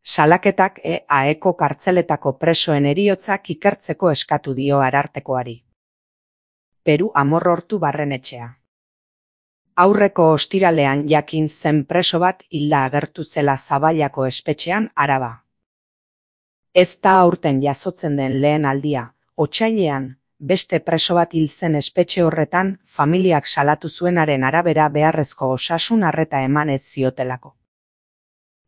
Salaketak EAeko kartzeletako presoen heriotzak ikertzeko eskatu dio Arartekoari. Peru Amorrortu barrenetxea. Aurreko ostiralean jakin zen preso bat hilda agertu zela Zaballako espetxean, Araba. Ez da aurten jasotzen den lehen aldia, otsailean, beste preso bat hil zen espetxe horretan, familiak salatu zuenaren arabera beharrezko osasun arreta eman ez ziotelako.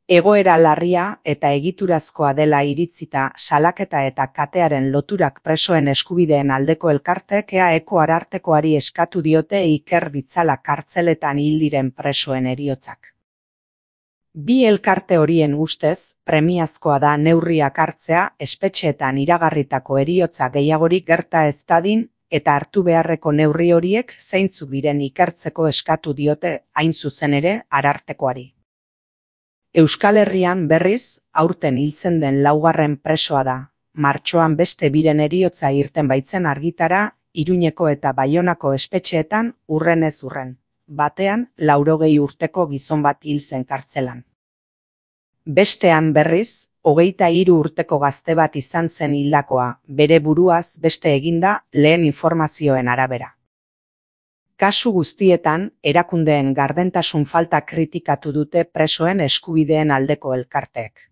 Egoera larria eta egiturazkoa dela iritzita salaketa eta katearen loturak presoen eskubideen aldeko elkarteek EAeko Arartekoari eskatu diote iker ditzala kartzeletan hil diren presoen heriotzak. Bi elkarte horien ustez, premiazkoa da neurriak hartzea espetxeetan iragarritako heriotza gehiagorik gerta ez dadin eta hartu beharreko neurri horiek zeintzuk diren ikertzeko eskatu diote hain zuzen ere Arartekoari. Euskal Herrian berriz, aurten hiltzen den laugarren presoa da. Martxoan beste biren heriotza irten baitzen argitara, Iruñeko eta Baionako espetxeetan urrenez urren. Batean, 80 urteko gizon bat hil zen kartzelan. Bestean berriz, 23 urteko gazte bat izan zen hildakoa, bere buruaz beste eginda lehen informazioen arabera. Kasu guztietan, erakundeen gardentasun falta kritikatu dute presoen eskubideen aldeko elkarteek.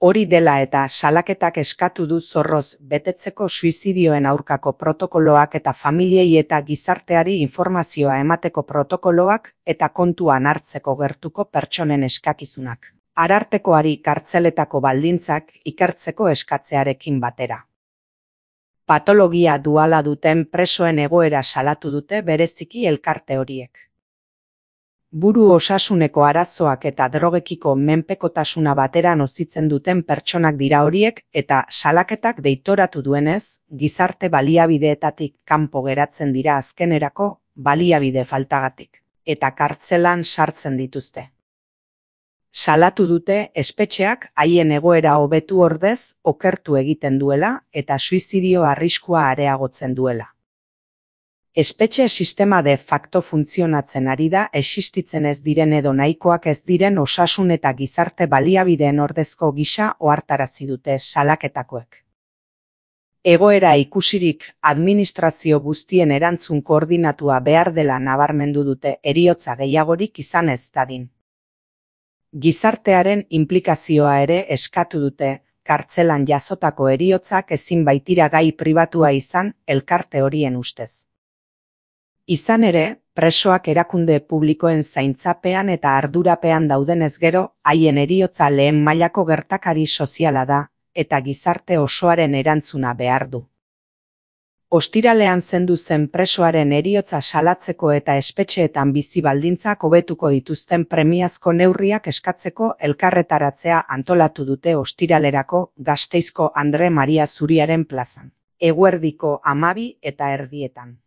Hori dela eta salaketak eskatu du zorroz betetzeko suizidioen aurkako protokoloak eta familiei eta gizarteari informazioa emateko protokoloak eta kontuan hartzeko gertuko pertsonen eskakizunak. Arartekoari kartzeletako baldintzak ikertzeko eskatzearekin batera. Patologia duala duten presoen egoera salatu dute bereziki elkarte horiek. Buru osasuneko arazoak eta drogekiko menpekotasuna batera nozitzen duten pertsonak dira horiek eta salaketak deitoratu duenez, gizarte baliabideetatik kanpo geratzen dira azkenerako baliabide faltagatik, eta kartzelan sartzen dituzte. Salatu dute espetxeak haien egoera hobetu ordez okertu egiten duela eta suizidio arriskua areagotzen duela. Espetxe sistema de facto funtzionatzen ari da existitzen ez diren edo nahikoak ez diren osasun eta gizarte baliabideen ordezko gisa ohartarazi dute salaketakoek. Egoera ikusirik administrazio guztien erantzun koordinatua behar dela nabarmendu dute heriotza gehiagorik izan ez dadin. Gizartearen inplikazioa ere eskatu dute, kartzelan jasotako heriotzak ezin baitira gai pribatua izan elkarte horien ustez. Izan ere, presoak erakunde publikoen zaintzapean eta ardurapean daudenez gero, haien heriotza lehen mailako gertakari soziala da, eta gizarte osoaren erantzuna behar du. Ostiralean zendu zen presoaren heriotza salatzeko eta espetxeetan bizi baldintzak hobetuko dituzten premiazko neurriak eskatzeko elkarretaratzea antolatu dute ostiralerako Gasteizko Andre Maria Zuriaren plazan. Eguerdiko 12:30.